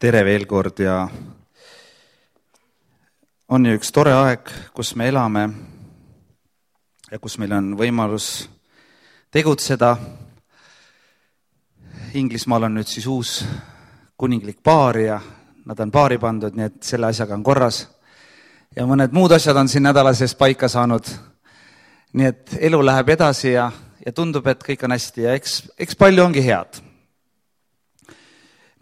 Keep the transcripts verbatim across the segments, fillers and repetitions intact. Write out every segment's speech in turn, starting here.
tere veel kord ja on ju üks tore aeg, kus me elame ja kus meil on võimalus tegutseda. Inglismaal on nüüd siis uus kuninglik paar ja nad on paari pandud, nii et selle asjaga on korras. Ja mõned muud asjad on siin nädala sees paika saanud. Nii et elu läheb edasi ja, ja tundub, et kõik on hästi ja eks, eks palju ongi head.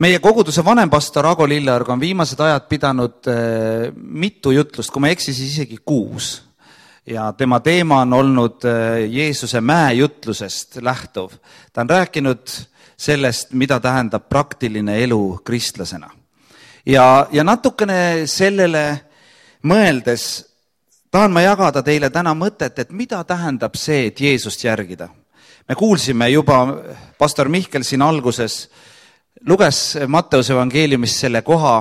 Meie koguduse vanempastor Ago Lilleorg on viimased ajad pidanud äh, mitu jutlust, kui ma eksin, siis isegi kuus. Ja tema teema on olnud äh, Jeesuse mäe jutlusest lähtuv. Ta on rääkinud sellest, mida tähendab praktiline elu kristlasena. Ja, ja natukene sellele mõeldes tahan ma jagada teile täna mõtet, et mida tähendab see, et Jeesust järgida. Me kuulsime juba pastor Mihkel siin alguses, luges Matteuse evangeeliumis selle koha,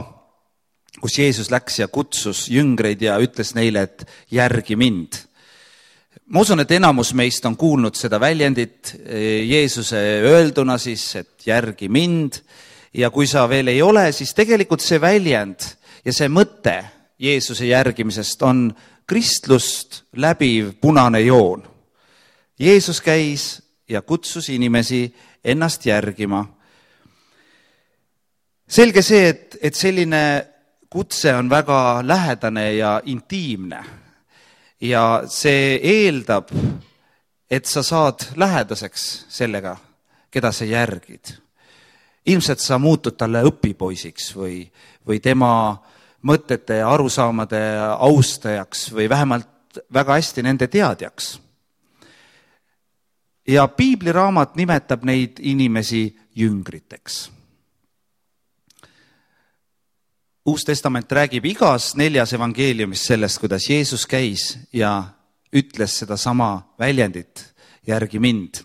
kus Jeesus läks ja kutsus jüngreid ja ütles neile, et järgi mind. Ma usun, et enamus meist on kuulnud seda väljendit Jeesuse öelduna siis, et järgi mind. Ja kui sa veel ei ole, siis tegelikult see väljend ja see mõte Jeesuse järgimisest on kristlust läbiv punane joon. Jeesus käis ja kutsus inimesi ennast järgima. Selge see, et, et selline kutse on väga lähedane ja intiimne ja see eeldab, et sa saad lähedaseks sellega, keda sa järgid. Ilmselt sa muutud talle õpipoisiks või, või tema mõtete ja arusaamade austajaks või vähemalt väga hästi nende teadjaks. Ja piibliraamat nimetab neid inimesi jüngriteks. Uus testament räägib igas neljas evangeeliumis sellest, kuidas Jeesus käis ja ütles seda sama väljendit, järgi mind.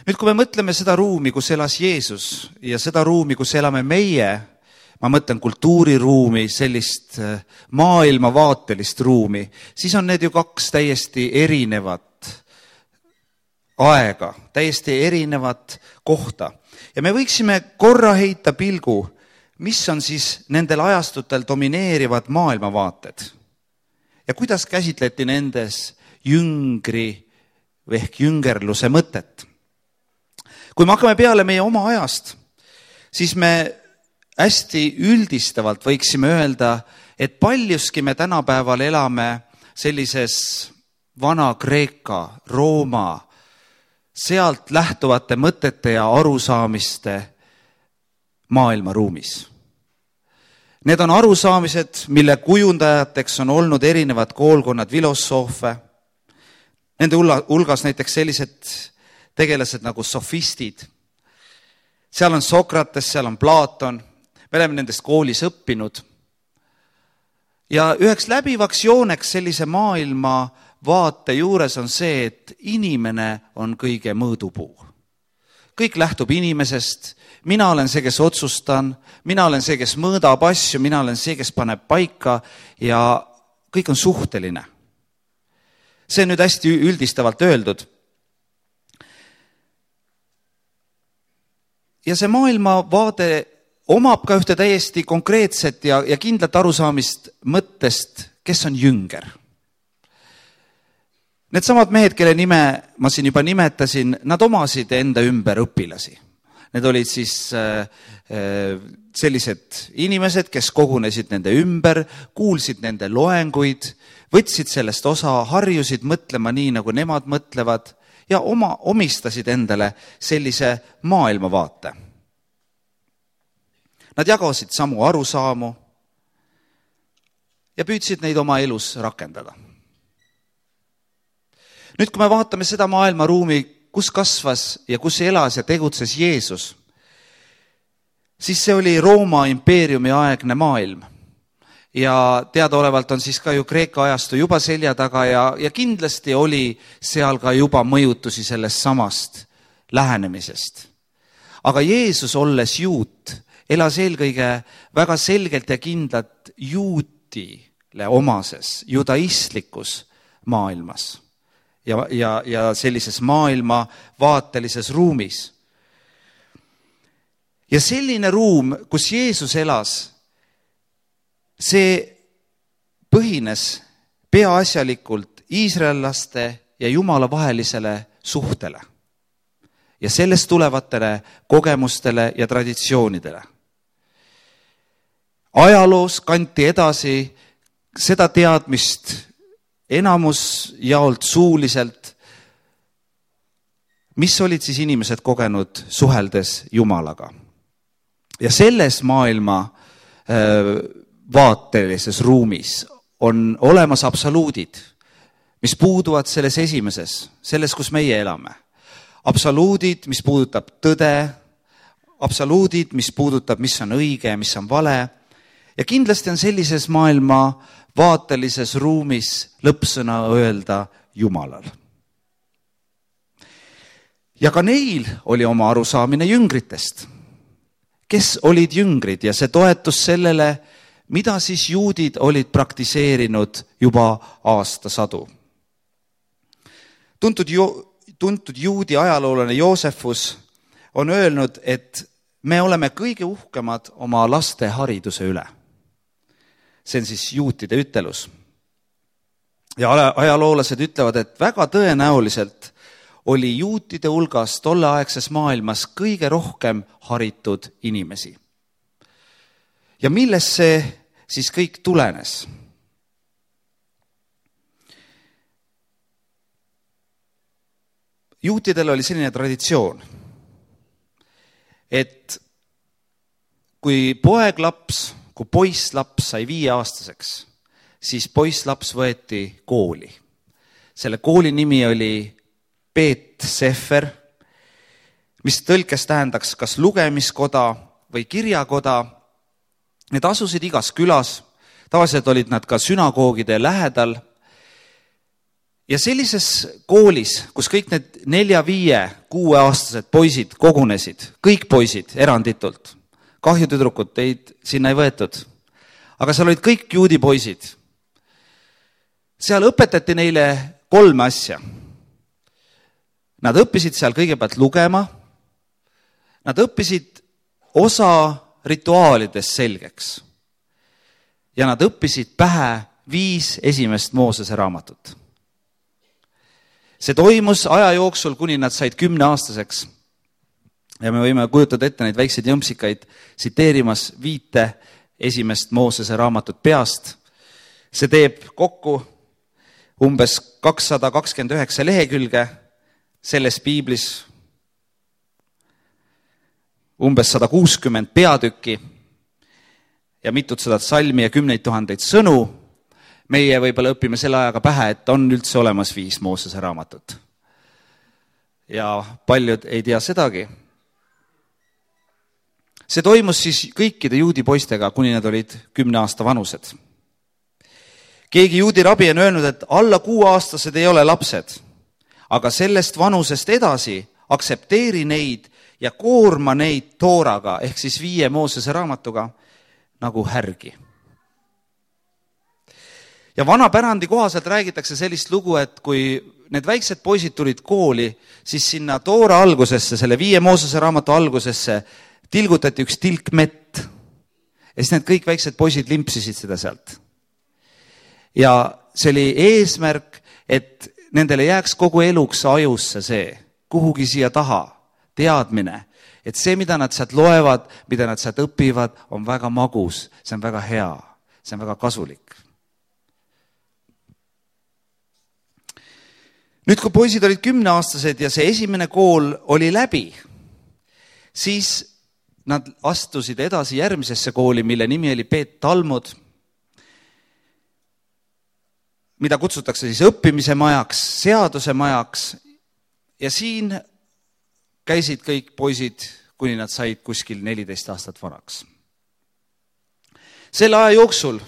Nüüd, kui me mõtleme seda ruumi, kus elas Jeesus ja seda ruumi, kus elame meie, ma mõtlen kultuuriruumi, sellist maailmavaatelist ruumi, siis on need ju kaks täiesti erinevat aega, täiesti erinevat kohta. Ja me võiksime korra heita pilgu, mis on siis nendel ajastutel domineerivad maailmavaated ja kuidas käsitleti nendes jüngri ehk jüngerluse mõtet. Kui me hakkame peale meie oma ajast, siis me hästi üldistavalt võiksime öelda, et paljuski me tänapäeval elame sellises vana Kreeka, Rooma, sealt lähtuvate mõtete ja arusaamiste maailmaruumis. Need on arusaamised, mille kujundajateks on olnud erinevad koolkonnad filosoofe. Nende hulgas näiteks sellised tegelased nagu sofistid. Seal on Sokrates, seal on Platon. Me oleme nendest koolis õppinud. Ja üheks läbivaks jooneks sellise maailma vaate juures on see, et inimene on kõige mõõdupuu. Kõik lähtub inimesest, mina olen see, kes otsustan, mina olen see, kes mõõdab asju, mina olen see, kes paneb paika ja kõik on suhteline. See on nüüd hästi üldistavalt öeldud. Ja see maailmavaade omab ka ühte täiesti konkreetset ja, ja kindlat arusaamist mõttest, kes on jünger. Need samad mehed, kelle nime ma siin juba nimetasin, nad omasid enda ümber õpilasi. Need olid siis äh, sellised inimesed, kes kogunesid nende ümber, kuulsid nende loenguid, võtsid sellest osa, harjusid mõtlema nii, nagu nemad mõtlevad ja oma, omistasid endale sellise maailmavaate. Nad jagasid samu arusaamu ja püüdsid neid oma elus rakendada. Nüüd, kui me vaatame seda maailmaruumi, kus kasvas ja kus elas ja tegutses Jeesus, siis see oli Rooma impeeriumi aegne maailm. Ja teadaolevalt on siis ka ju Kreeka ajastu juba selja taga ja, ja kindlasti oli seal ka juba mõjutusi sellest samast lähenemisest. Aga Jeesus, olles juut, elas eelkõige väga selgelt ja kindlat juutile omases, judaistlikus maailmas. Ja, ja, ja sellises maailma vaatelises ruumis. ja selline ruum, kus Jeesus elas, see põhines peaasjalikult iisraellaste ja Jumala vahelisele suhtele ja sellest tulevatele kogemustele ja traditsioonidele. Ajaloos kanti edasi seda teadmist enamus jaolt suuliselt, mis olid siis inimesed kogenud suheldes Jumalaga. Ja selles maailma vaatelises ruumis on olemas absoluudid, mis puuduvad selles esimeses, selles, kus meie elame. Absoluudid, mis puudutab tõde, absoluudid, mis puudutab, mis on õige ja mis on vale. Ja kindlasti on sellises maailma vaatelises ruumis lõppsõna öelda Jumalal. Ja ka neil oli oma arusaamine jüngritest, kes olid jüngrid ja see toetus sellele, mida siis juudid olid praktiseerinud juba aastasadu. Tuntud, ju, tuntud juudi ajaloolane Joosefus on öelnud, et me oleme kõige uhkemad oma laste hariduse üle. See on siis juutide ütelus. Ja ajaloolased ütlevad, et väga tõenäoliselt oli juutide hulgas tolleaegses maailmas kõige rohkem haritud inimesi. Ja millest see siis kõik tulenes? Juutidel oli selline traditsioon, et kui poeglaps, kui poisslaps sai viieaastaseks, siis poisslaps võeti kooli. Selle kooli nimi oli Beet Sefer, mis tõlkes tähendaks kas lugemiskoda või kirjakoda. Need asusid igas külas, tavaliselt olid nad ka sünagoogide lähedal. Ja sellises koolis, kus kõik need nelja, viie, kuue aastased poisid kogunesid, kõik poisid eranditult, kahjutüdrukut teid sinna ei võetud, aga seal olid kõik juudi poisid. Seal õpetati neile kolme asja. Nad õppisid seal kõigepealt lugema, nad õppisid osa rituaalidest selgeks ja nad õppisid pähe viis esimest Moosese raamatut. See toimus aja jooksul, kuni nad said kümneaastaseks ja me võime kujutada ette neid väikseid jõmpsikaid tsiteerimas viite esimest Moosese raamatut peast. See teeb kokku umbes kakssada kakskümmend üheksa lehekülge, selles piiblis umbes sada kuuskümmend peatükki ja mitut sadat salmi ja kümneid tuhandeid sõnu. Meie võib-olla õpime selle ajaga pähe, et on üldse olemas viis Moosese raamatut. Ja paljud ei tea sedagi. See toimus siis kõikide juudi poistega, kuni nad olid kümne aasta vanused. Keegi juudi rabi on öelnud, et alla kuueaastased ei ole lapsed, aga sellest vanusest edasi aksepteeri neid ja koorma neid tooraga, ehk siis viie Moosese raamatuga, nagu härgi. Ja vana pärandi kohaselt räägitakse sellist lugu, et kui need väiksed poisid tulid kooli, siis sinna toora algusesse, selle viie Moosese raamatu algusesse tilgutati üks tilk mett. Ja siis need kõik väiksed poisid limpsisid seda sealt. Ja see oli eesmärk, et nendele jääks kogu eluks ajusse see, kuhugi siia taha, teadmine, et see, mida nad sealt loevad, mida nad sealt õpivad, on väga magus, see on väga hea, see on väga kasulik. Nüüd, kui poisid olid kümneaastased ja see esimene kool oli läbi, siis nad astusid edasi järgmisesse kooli, mille nimi oli Beet Talmud, mida kutsutakse siis õppimise majaks, seaduse majaks ja siin käisid kõik poisid, kuni nad said kuskil neliteist aastat vanaks. Selle aja jooksul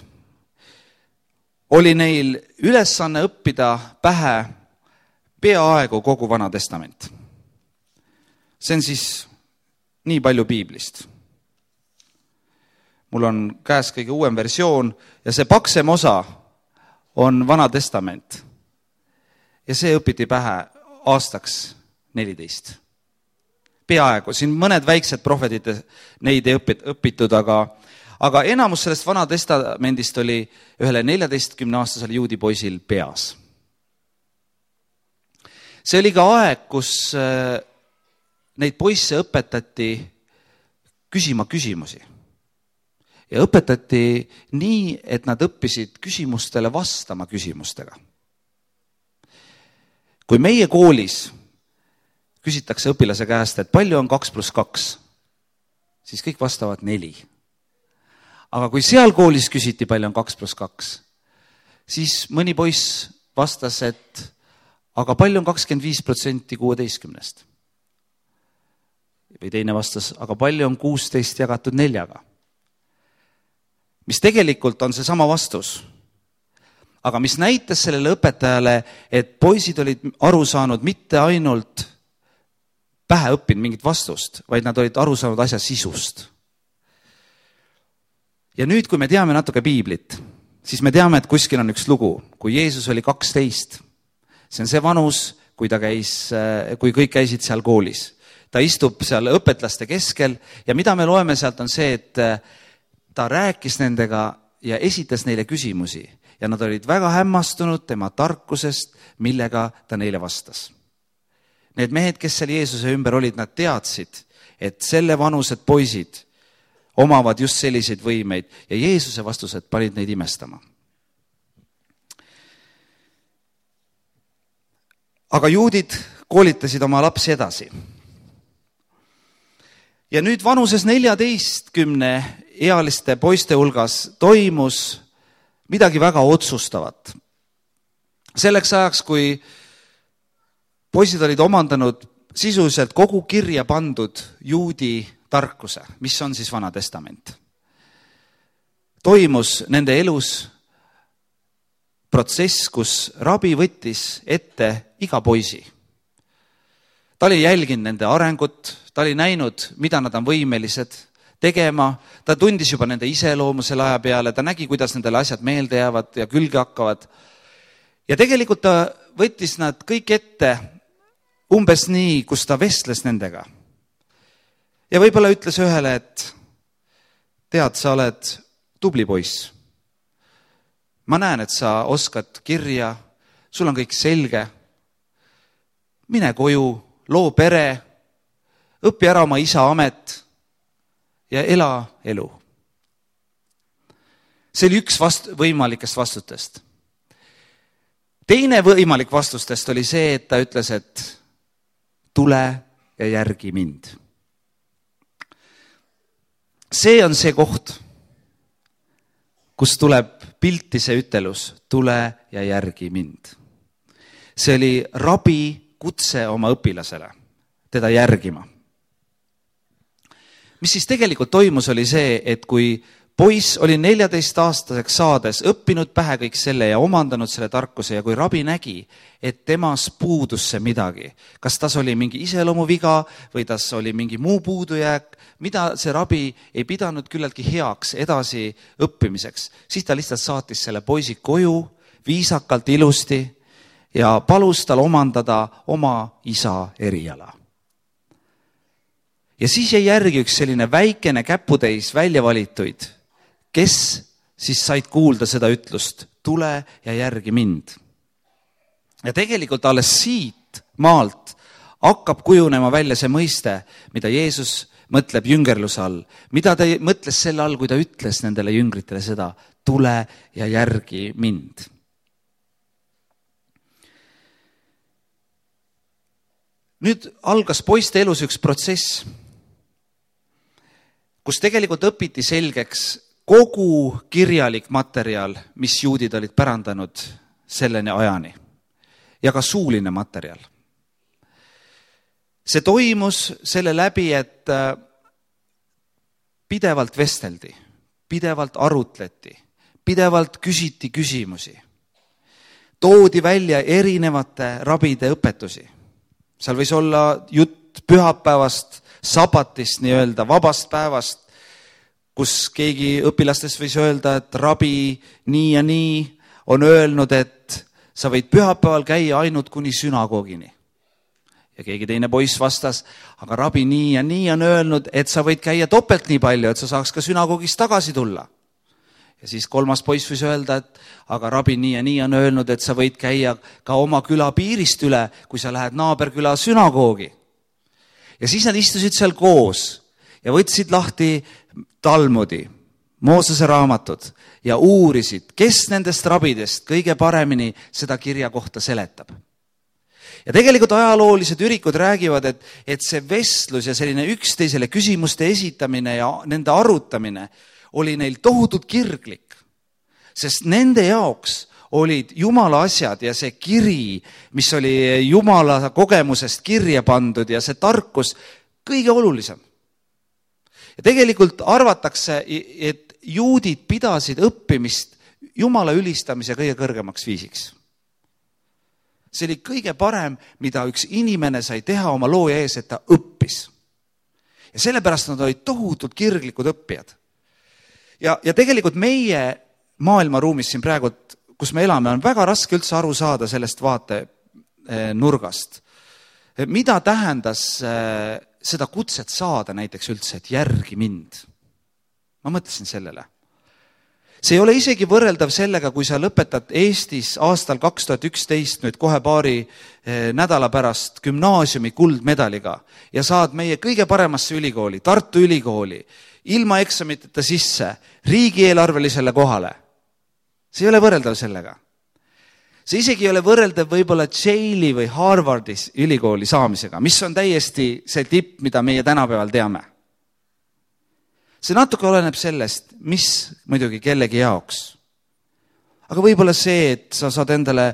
oli neil ülesanne õppida pähe peaaegu kogu Vana Testament. See on siis nii palju piiblist. Mul on käes kõige uuem versioon ja see paksem osa on Vana Testament. Ja see õpiti pähe aastaks neliteist. peaaegu, siin mõned väiksed prohvedid, neid ei õpit, õpitud, aga, aga enamus sellest Vana Testamendist oli ühele neljateistkümne aastasele juudi poisil peas. See oli ka aeg, kus neid poisse õpetati küsima küsimusi. Ja õpetati nii, et nad õppisid küsimustele vastama küsimustega. Kui meie koolis küsitakse õpilase käest, et palju on kaks pluss kaks, siis kõik vastavad neli. Aga kui seal koolis küsiti, palju on kaks pluss kaks, siis mõni poiss vastas, et aga palju on kakskümmend viis protsenti kuueteistkümnest. Või teine vastas, aga palju on kuusteist jagatud neljaga. Mis tegelikult on see sama vastus. Aga mis näitas sellele õpetajale, et poisid olid aru saanud mitte ainult pähe õppinud mingit vastust, vaid nad olid aru saanud asja sisust. Ja nüüd, kui me teame natuke piiblit, siis me teame, et kuskil on üks lugu, kui Jeesus oli kaksteist. See on see vanus, kui, ta käis, kui kõik käisid seal koolis. Ta istub seal õpetlaste keskel ja mida me loeme sealt on see, et ta rääkis nendega ja esitas neile küsimusi ja nad olid väga hämmastunud tema tarkusest, millega ta neile vastas. Need mehed, kes seal Jeesuse ümber olid, nad teadsid, et selle vanused poisid omavad just selliseid võimeid ja Jeesuse vastused panid neid imestama. Aga juudid koolitasid oma lapsi edasi. Ja nüüd vanuses neljateistkümne ealiste poiste hulgas toimus midagi väga otsustavat. Selleks ajaks, kui poisid olid omandanud sisuliselt kogu kirja pandud juudi tarkuse, mis on siis Vana Testament, toimus nende elus protsess, kus rabi võttis ette iga poisi. Ta oli jälginud nende arengut, ta oli näinud, mida nad on võimelised tegema, ta tundis juba nende iseloomu selle aja peale, ta nägi, kuidas nendele asjad meelde jäävad ja külge hakkavad. Ja tegelikult ta võttis nad kõik ette umbes nii, kus ta vestles nendega. Ja võib-olla ütles ühele, et tead, sa oled tubli poiss. Ma näen, et sa oskad kirja, sul on kõik selge. Mine koju, loo pere, õpi ära oma isa amet ja ela elu. See oli üks vast, võimalikest vastutest. Teine võimalik vastustest oli see, et ta ütles, et tule ja järgi mind. See on see koht, kus tuleb pilti see ütelus, tule ja järgi mind. See oli rabi kutse oma õpilasele, teda järgima. Mis siis tegelikult toimus, oli see, et kui poiss oli neljateist aastaseks saades õppinud pähe kõik selle ja omandanud selle tarkuse ja kui rabi nägi, et temas puudus see midagi, kas tas oli mingi iseloomuviga või tas oli mingi muu puudujääk, mida see rabi ei pidanud küllaltki heaks edasi õppimiseks, siis ta lihtsalt saatis selle poisi koju viisakalt ilusti ja palus tal omandada oma isa eriala. Ja siis jäi järgi üks selline väikene käputäis välja valituid, kes siis said kuulda seda ütlust, tule ja järgi mind. Ja tegelikult alles siit maalt hakkab kujunema välja see mõiste, mida Jeesus mõtleb jüngerluse all, mida ta mõtles selle all, kui ta ütles nendele jüngritele seda, tule ja järgi mind. Nüüd algas poiste elus üks protsess, kus tegelikult õpiti selgeks kogu kirjalik materjal, mis juudid olid pärandanud selleni ajani ja ka suuline materjal. See toimus selle läbi, et pidevalt vesteldi, pidevalt arutleti, pidevalt küsiti küsimusi. Toodi välja erinevate rabide õpetusi. Seal võis olla jutt pühapäevast, sabatist, nii-öelda vabast päevast, kus keegi õpilastest võis öelda, et rabi nii ja nii on öelnud, et sa võid pühapäeval käia ainult kuni sünagoogini. Ja keegi teine poiss vastas, aga rabi nii ja nii on öelnud, et sa võid käia topelt nii palju, et sa saaks ka sünagoogist tagasi tulla. Ja siis kolmas poiss võis öelda, et aga rabi nii ja nii on öelnud, et sa võid käia ka oma küla piirist üle, kui sa lähed naaberküla sünagoogi. Ja siis nad istusid seal koos ja võtsid lahti Talmudi, Moosese raamatud ja uurisid, kes nendest rabidest kõige paremini seda kirja kohta seletab. Ja tegelikult ajaloolised ürikud räägivad, et, et see vestlus ja selline üksteisele küsimuste esitamine ja nende arutamine oli neil tohutult kirglik, sest nende jaoks olid Jumala asjad ja see kiri, mis oli Jumala kogemusest kirja pandud ja see tarkus kõige olulisem. Ja tegelikult arvatakse, et juudid pidasid õppimist Jumala ülistamise kõige kõrgemaks viisiks. See oli kõige parem, mida üks inimene sai teha oma looja ees, et ta õppis. Ja sellepärast nad olid tohutult kirglikud õppijad. Ja, ja tegelikult meie maailmaruumis siin praegu, kus me elame, on väga raske üldse aru saada sellest vaate nurgast. Mida tähendas seda kutset saada näiteks üldse, et järgi mind? Ma mõtlesin sellele. See ei ole isegi võrreldav sellega, kui sa lõpetad Eestis aastal kaks tuhat üksteist nüüd kohe paari nädala pärast gümnaasiumi kuldmedaliga ja saad meie kõige paremasse ülikooli, Tartu ülikooli, ilma eksamiteta sisse, riigieelarvelisele kohale. See ei ole võrreldav sellega. See isegi ei ole võrreldav võib-olla Yale'i või Harvardis ülikooli saamisega, mis on täiesti see tipp, mida meie tänapäeval teame. See natuke oleneb sellest, mis muidugi kellegi jaoks. Aga võib-olla see, et sa saad endale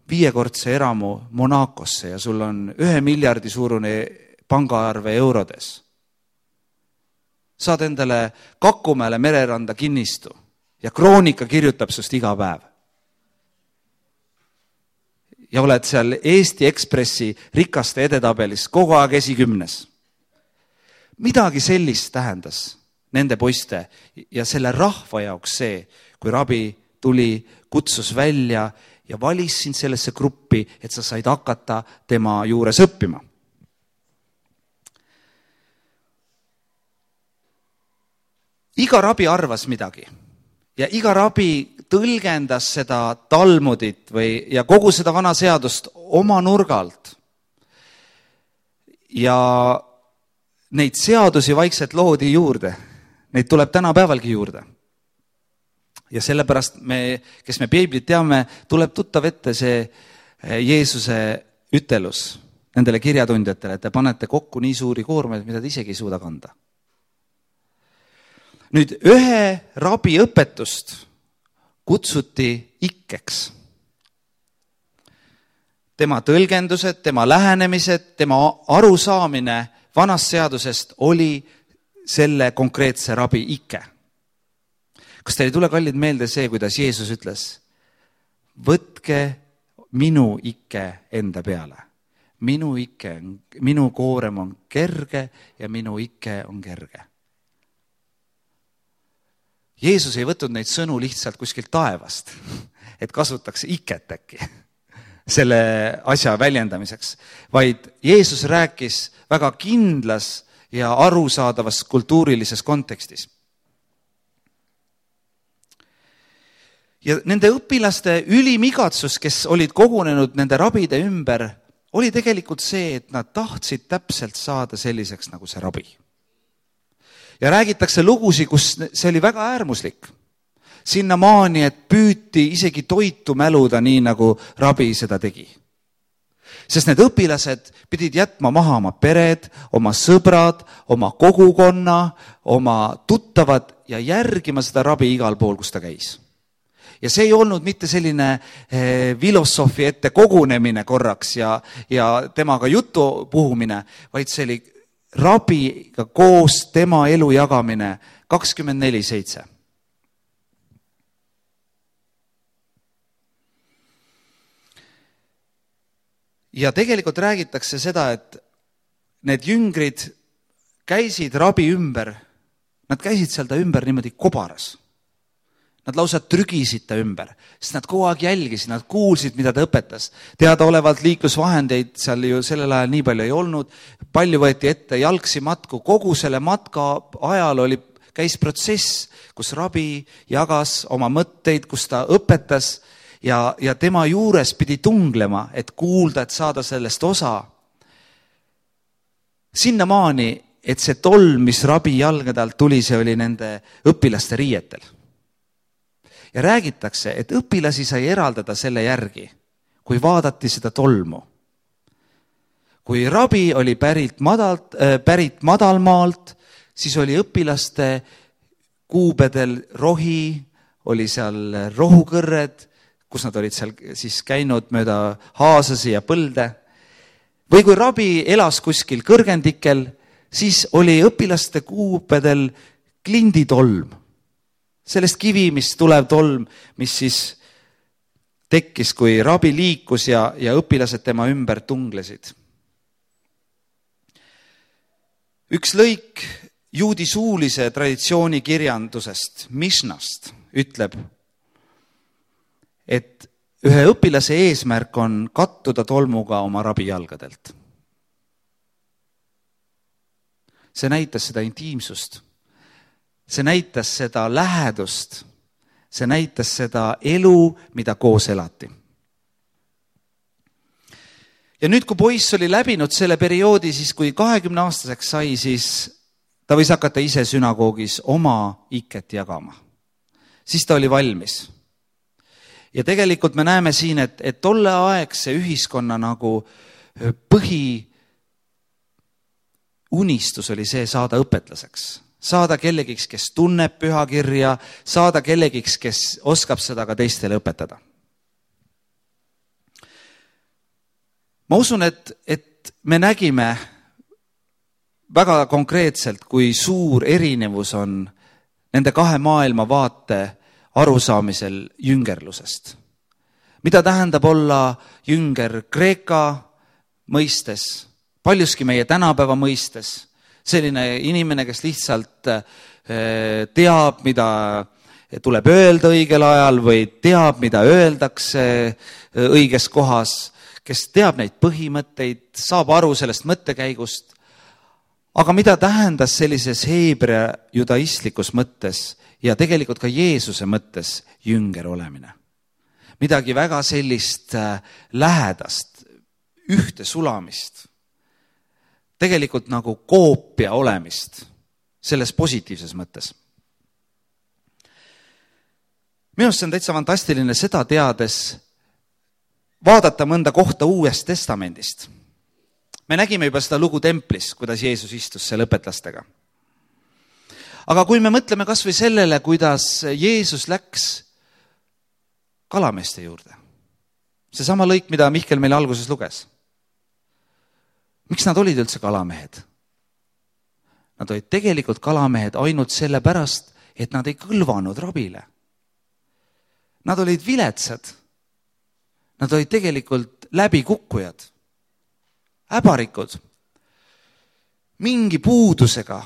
viiekordse eramu Monacosse ja sul on ühe miljardi suurune pangaarve eurodes. Saad endale Kakumäele mereranda kinnistu ja Kroonika kirjutab sust iga päev. Ja oled seal Eesti Ekspressi rikaste edetabelis kogu aeg esikümnes. Midagi sellist tähendas nende poiste ja selle rahva jaoks see, kui rabi tuli, kutsus välja ja valis sind sellesse gruppi, et sa said hakata tema juures õppima. Iga rabi arvas midagi ja iga rabi tõlgendas seda Talmudit või, ja kogu seda vana seadust oma nurgalt. Ja neid seadusi vaikselt loodi juurde. Neid tuleb tänapäevalgi juurde. Ja sellepärast me, kes me Piiblit teame, tuleb tuttav ette see Jeesuse ütelus nendele kirjatundjatele, et te panete kokku nii suuri koormeid, mida te isegi ei suuda kanda. Nüüd ühe rabi õpetust kutsuti ikkeks. Tema tõlgendused, tema lähenemised, tema arusaamine vanast seadusest oli selle konkreetse rabi ikke. Kas teile tule kallid meelde see, kuidas Jeesus ütles, võtke minu ikke enda peale. Minu ikke, minu koorem on kerge ja minu ikke on kerge. Jeesus ei võtnud neid sõnu lihtsalt kuskilt taevast, et kasutaks iket äkki selle asja väljendamiseks, vaid Jeesus rääkis väga kindlas ja arusaadavas kultuurilises kontekstis. Ja nende õpilaste ülimigatsus, kes olid kogunenud nende rabide ümber, oli tegelikult see, et nad tahtsid täpselt saada selliseks nagu see rabi. Ja räägitakse lugusi, kus see oli väga äärmuslik. Sinna maani, et püüti isegi toitu mäluda nii, nagu rabi seda tegi. Sest need õpilased pidid jätma maha oma pered, oma sõbrad, oma kogukonna, oma tuttavad ja järgima seda rabi igal pool, kus ta käis. Ja see ei olnud mitte selline eh, filosoofi ette kogunemine korraks ja, ja temaga jutu puhumine, vaid see oli rabiga koos tema elu jagamine kakskümmend neli seitse. Ja tegelikult räägitakse seda, et need jüngrid käisid rabi ümber, nad käisid seal ta ümber niimoodi kobaras. Nad lausa trügisid ta ümber, sest nad kogu aeg jälgisid, nad kuulsid, mida ta õpetas. Teadaolevalt liiklusvahendeid seal ju sellel ajal nii palju ei olnud, palju võeti ette jalgsi matku, kogu selle matka ajal oli, käis protsess, kus rabi jagas oma mõtteid, kus ta õpetas ja, ja tema juures pidi tunglema, et kuulda, et saada sellest osa. Sinnamaani, et see tolm, mis rabi jalgade alt tuli, see oli nende õpilaste riietel. Ja räägitakse, et õpilasi sai eraldada selle järgi, kui vaadati seda tolmu. Kui rabi oli pärit, madalt, äh, pärit madalmaalt, siis oli õpilaste kuubedel rohi, oli seal rohukõrred, kus nad olid seal siis käinud mööda haasasi ja põlde. Või kui rabi elas kuskil kõrgendikel, siis oli õpilaste kuubedel klinditolm. Sellest kivimist tulev tolm, mis siis tekkis, kui rabi liikus ja, ja õpilased tema ümber tunglesid. Üks lõik juudi suulise traditsiooni kirjandusest, Mishnast, ütleb, et ühe õpilase eesmärk on kattuda tolmuga oma rabi jalgadelt. See näitas seda intiimsust. See näitas seda lähedust, see näitas seda elu, mida koos elati. Ja nüüd, kui poiss oli läbinud selle perioodi, siis kui kahekümne aastaseks sai, siis ta võis hakata ise sünagoogis oma iket jagama. Siis ta oli valmis. Ja tegelikult me näeme siin, et, et tolle aegse ühiskonna nagu põhi unistus oli see saada õpetlaseks. Saada kellegiks, kes tunneb pühakirja, saada kellegiks, kes oskab seda ka teistele õpetada. Ma usun, et, et me nägime väga konkreetselt, kui suur erinevus on nende kahe maailma vaate arusaamisel jüngerlusest. Mida tähendab olla jünger Kreeka mõistes, paljuski meie tänapäeva mõistes, selline inimene, kes lihtsalt teab, mida tuleb öelda õigel ajal või teab, mida öeldakse õiges kohas, kes teab neid põhimõtteid, saab aru sellest mõttekäigust. Aga mida tähendas sellises heebrea judaistlikus mõttes ja tegelikult ka Jeesuse mõttes jünger olemine? Midagi väga sellist lähedast, ühte sulamist. Tegelikult nagu koopia olemist selles positiivses mõttes. Minu arust see on täitsa fantastiline seda teades vaadata mõnda kohta Uuest Testamendist. Me nägime juba seda lugu templis, kuidas Jeesus istus seal õpetlastega. Aga kui me mõtleme kas või sellele, kuidas Jeesus läks kalameeste juurde, see sama lõik, mida Mihkel meil alguses luges. Miks nad olid üldse kalamehed? Nad olid tegelikult kalamehed ainult selle pärast, et nad ei kõlvanud rabile. Nad olid viletsad. Nad olid tegelikult läbikukkujad, äbarikud, mingi puudusega.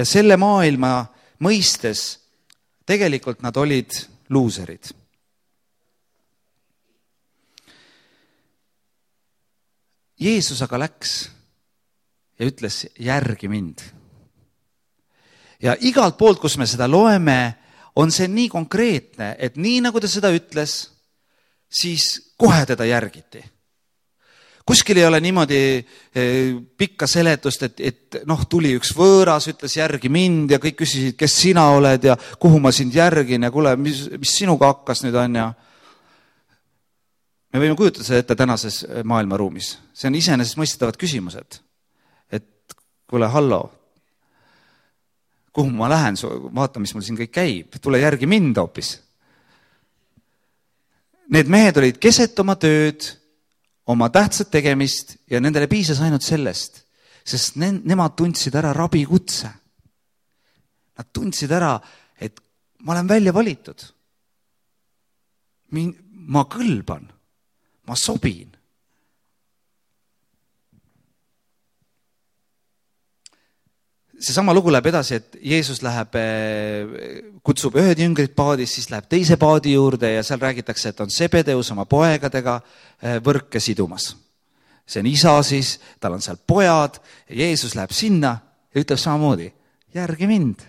Ja selle maailma mõistes tegelikult nad olid luuserid. Jeesus aga läks ja ütles, järgi mind. Ja igalt poolt, kus me seda loeme, on see nii konkreetne, et nii nagu ta seda ütles, siis kohe teda järgiti. Kuskil ei ole niimoodi pikka seletust, et, et noh, tuli üks võõras, ütles järgi mind ja kõik küsisid, kes sina oled ja kuhu ma sind järgin ja kuule, mis, mis sinuga hakkas nüüd on ja me võime kujutada seda ette tänases maailmaruumis. See on iseenesest mõistetavad küsimused. Et kuule, hallo, kuhu ma lähen, vaata, mis mul siin kõik käib, tule järgi mind hoopis. Need mehed olid keset oma tööd, oma tähtsat tegemist ja nendele piisas ainult sellest, sest ne- nemad tundsid ära rabi kutse. Nad tundsid ära, et ma olen välja valitud. Min- ma kõlban. Ma sobin. seesama lugu läheb edasi, et Jeesus läheb, kutsub ühed jüngrid paadis, siis läheb teise paadi juurde ja seal räägitakse, et on Sebedeus oma poegadega võrke sidumas. See on isa siis, tal on seal pojad ja Jeesus läheb sinna ja ütleb samamoodi, järgi mind.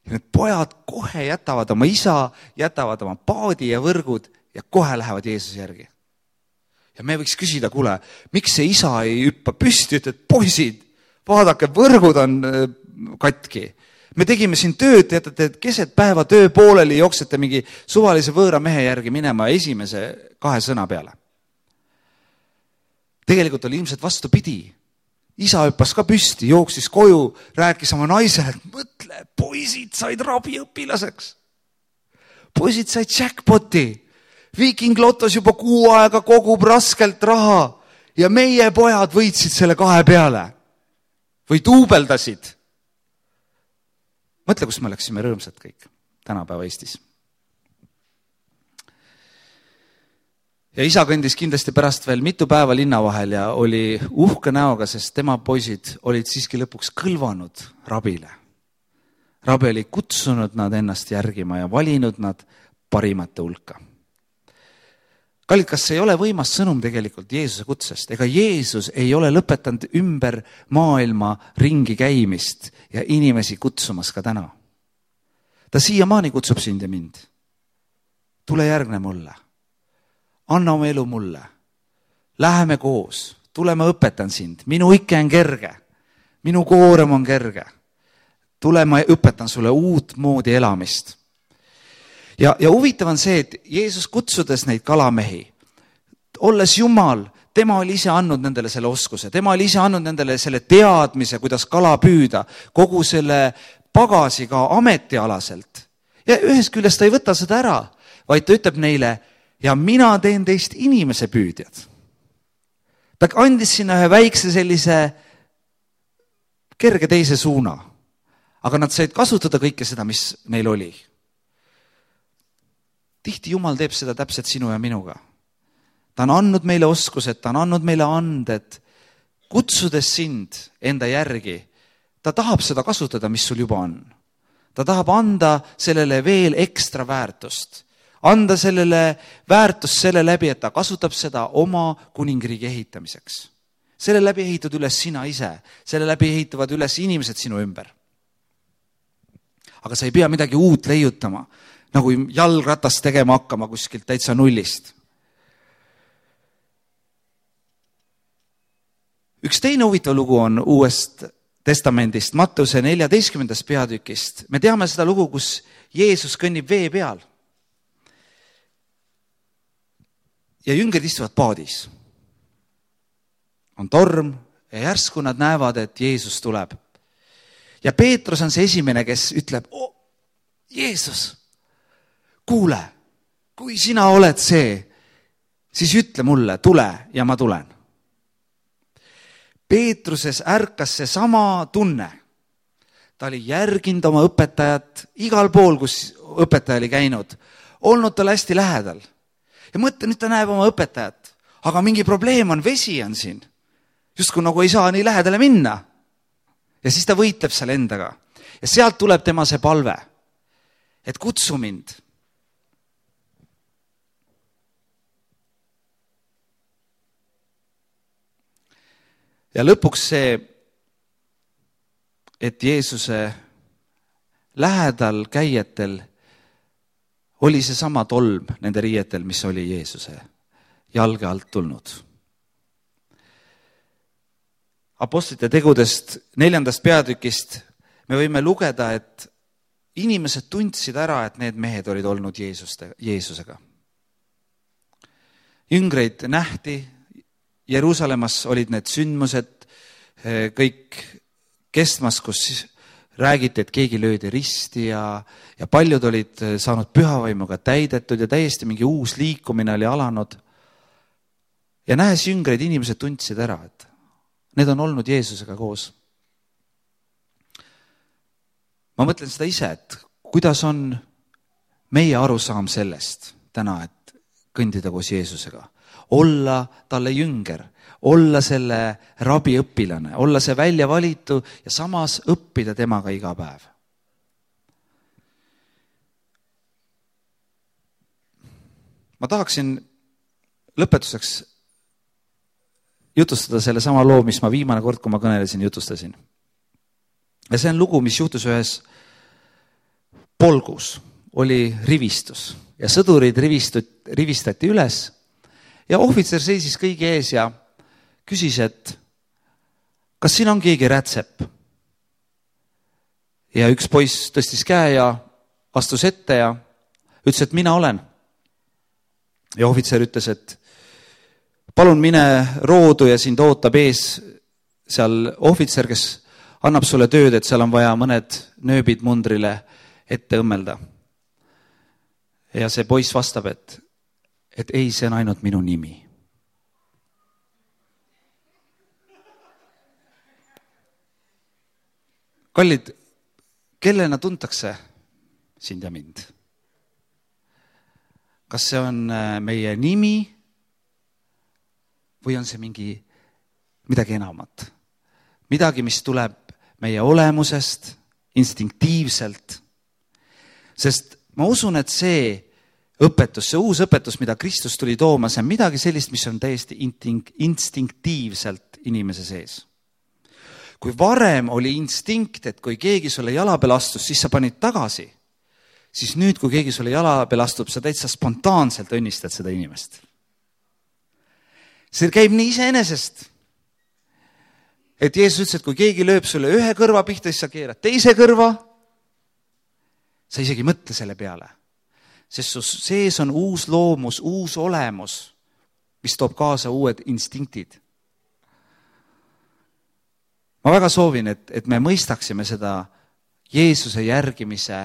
Ja need pojad kohe jätavad oma isa, jätavad oma paadi ja võrgud ja kohe lähevad Jeesuse järgi. Ja me võiks küsida, kuule, miks see isa ei hüppa püsti, ütleb, poisid, vaadake, võrgud on katki. Me tegime siin tööd, teatate, et keset päeva töö pooleli jooksete mingi suvalise võõra mehe järgi minema esimese kahe sõna peale. Tegelikult oli ilmselt vastupidi. Isa hüppas ka püsti, jooksis koju, rääkis oma naisele, et mõtle, poisid said rabiõpilaseks. Poisid said jackpoti. Viiking Lotos juba kuu aega kogub raskelt raha ja meie pojad võitsid selle kahe peale. Või duubeldasid. Mõtle, kus me läksime rõõmsad kõik tänapäeva Eestis. Ja isa kõndis kindlasti pärast veel mitu päeva linna vahel ja oli uhke näoga, sest tema poisid olid siiski lõpuks kõlvanud rabile. Rabi oli kutsunud nad ennast järgima ja valinud nad parimate hulka. Kallid, kas see ei ole võimas sõnum tegelikult Jeesuse kutsest? Ega Jeesus ei ole lõpetanud ümber maailma ringi käimist ja inimesi kutsumas ka täna. Ta siiamaani kutsub sind ja mind. Tule järgne mulle. Anna oma elu mulle. Läheme koos. Tule, ma õpetan sind. Minu ikke on kerge. Minu koorem on kerge. Tule, ma õpetan sulle uut moodi elamist. Ja, ja huvitav on see, et Jeesus kutsudes neid kalamehi, olles Jumal, tema oli ise andnud nendele selle oskuse, tema oli ise andnud nendele selle teadmise, kuidas kala püüda, kogu selle pagasi ka ametialaselt. Ja ühest küljest ta ei võta seda ära, vaid ta ütleb neile, ja mina teen teist inimese püüdjad. Ta andis sinna ühe väikse sellise kerge teise suuna, aga nad said kasutada kõike seda, mis neil oli. Tihti Jumal teeb seda täpselt sinu ja minuga. Ta on andnud meile oskused, ta on andnud meile anded, kutsudes sind enda järgi. Ta tahab seda kasutada, mis sul juba on. Ta tahab anda sellele veel ekstra väärtust. Anda sellele väärtust selle läbi, et ta kasutab seda oma kuningriigi ehitamiseks. Selle läbi ehitud üles sina ise. Selle läbi ehituvad üles inimesed sinu ümber. Aga sa ei pea midagi uut leiutama, nagu jalgratast tegema hakkama kuskilt täitsa nullist. Üks teine huvitav lugu on Uuest testamendist, Matteuse neljateistkümnendast peatükist. Me teame seda lugu, kus Jeesus kõnnib vee peal. Ja jüngrid istuvad paadis. On torm ja järsku nad näevad, et Jeesus tuleb. Ja Peetrus on see esimene, kes ütleb, oh, Jeesus, kuule, kui sina oled see, siis ütle mulle, tule ja ma tulen. Peetruses ärkas see sama tunne. Ta oli järginud oma õpetajat igal pool, kus õpetaja oli käinud, olnud tal hästi lähedal. Ja mõtle, nüüd ta näeb oma õpetajat, aga mingi probleem on, vesi on siin. Just kui nagu ei saa nii lähedale minna. Ja siis ta võitleb seal endaga. Ja sealt tuleb tema see palve, et kutsu mind. Ja lõpuks see, et Jeesuse lähedal käijatel oli see sama tolm nende riietel, mis oli Jeesuse jalge alt tulnud. Apostlite tegudest neljandast peatükist me võime lugeda, et inimesed tundsid ära, et need mehed olid olnud Jeesuste, Jeesusega. Jüngreid nähti, Jeruusalemmas olid need sündmused kõik kestmas, kus räägiti, et keegi löödi risti ja, ja paljud olid saanud pühavaimuga täidetud ja täiesti mingi uus liikumine oli alanud. Ja nähes jüngreid, inimesed tundsid ära, et need on olnud Jeesusega koos. Ma mõtlen seda ise, et kuidas on meie arusaam sellest täna, et kõndida koos Jeesusega, olla talle jünger, olla selle rabiõpilane, olla see välja valitu ja samas õppida temaga iga päev. Ma tahaksin lõpetuseks jutustada selle sama loo, mis ma viimane kord, kui ma kõnelesin, jutustasin. Ja see on lugu, mis juhtus ühes polgus, oli rivistus ja sõdurid rivistut, rivistati üles ja ohvitser seisis kõigi ees ja küsis, et kas siin on keegi rätsep? Ja üks poiss tõstis käe ja astus ette ja ütles, et mina olen. Ja ohvitser ütles, et palun mine roodu ja sind ootab ees seal ohvitser, kes annab sulle tööd, et seal on vaja mõned nööbid mundrile ette õmmelda. Ja see poiss vastab, et, et ei, see on ainult minu nimi. Kallid, kellena tuntakse sind ja mind? Kas see on meie nimi või on see mingi midagi enamat? Midagi, mis tuleb meie olemusest, instinktiivselt. Sest ma usun, et see õpetus, see uus õpetus, mida Kristus tuli tooma, see on midagi sellist, mis on täiesti instinktiivselt inimese sees. Kui varem oli instinkt, et kui keegi sulle jala peal astus, siis sa panid tagasi, siis nüüd, kui keegi sulle jala peal astub, sa täitsa spontaanselt õnnistad seda inimest. See käib nii iseenesest. Et Jeesus ütles, et kui keegi lööb sulle ühe kõrva pihta, siis sa keerad teise kõrva, sa isegi mõtle selle peale. Sest su sees on uus loomus, uus olemus, mis toob kaasa uued instinktid. Ma väga soovin, et, et me mõistaksime seda Jeesuse järgimise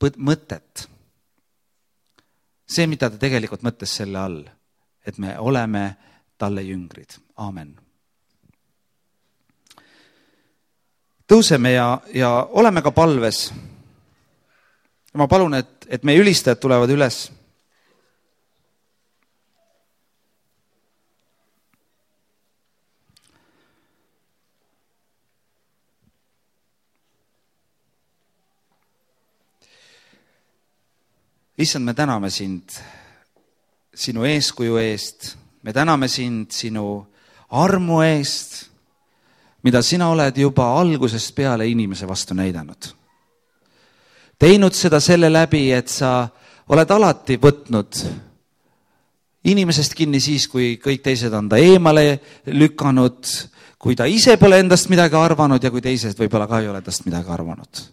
mõtet. See, mida ta tegelikult mõtles selle all, et me oleme talle jüngrid. Aamen. Tõuseme ja, ja oleme ka palves. Ma palun, et, et meie ülistajad tulevad üles. Issand, me täname sind sinu eeskuju eest, me täname sind sinu armu eest, mida sina oled juba algusest peale inimese vastu näidanud. Teinud seda selle läbi, et sa oled alati võtnud inimesest kinni siis, kui kõik teised on ta eemale lükanud, kui ta ise pole endast midagi arvanud ja kui teised võib-olla ka ei ole endast midagi arvanud.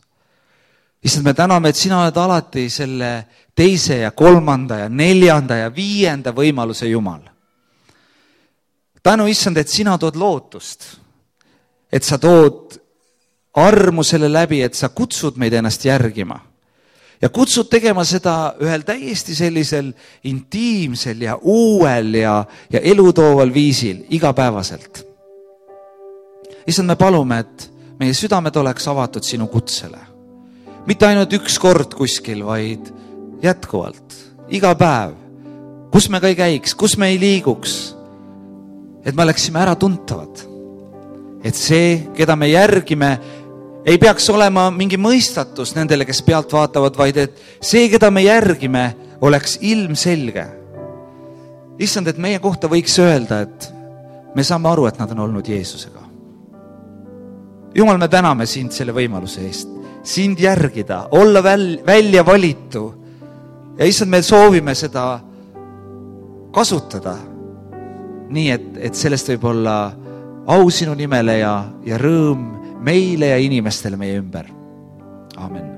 Issand, me täname, et sina oled alati selle teise ja kolmanda ja neljanda ja viienda võimaluse Jumal. Tänu, Issand, et sina tood lootust, et sa tood armu selle läbi, et sa kutsud meid ennast järgima ja kutsud tegema seda ühel täiesti sellisel intiimsel ja uuel ja, ja elutooval viisil igapäevaselt. Issand, me palume, et meie südamed oleks avatud sinu kutsele. Mitte ainult üks kord kuskil, vaid jätkuvalt, iga päev, kus me ka ei käiks, kus me ei liiguks, et me oleksime ära tuntavad. Et see, keda me järgime, ei peaks olema mingi mõistatus nendele, kes pealt vaatavad, vaid et see, keda me järgime, oleks ilmselge. Issand, et meie kohta võiks öelda, et me saame aru, et nad on olnud Jeesusega. Jumal, me täname sind selle võimaluse eest. Sind järgida, olla väl, välja valitu. Ja issand, me soovime seda kasutada nii, et, et sellest võib olla au sinu nimele ja, ja rõõm meile ja inimestele meie ümber. Aamen.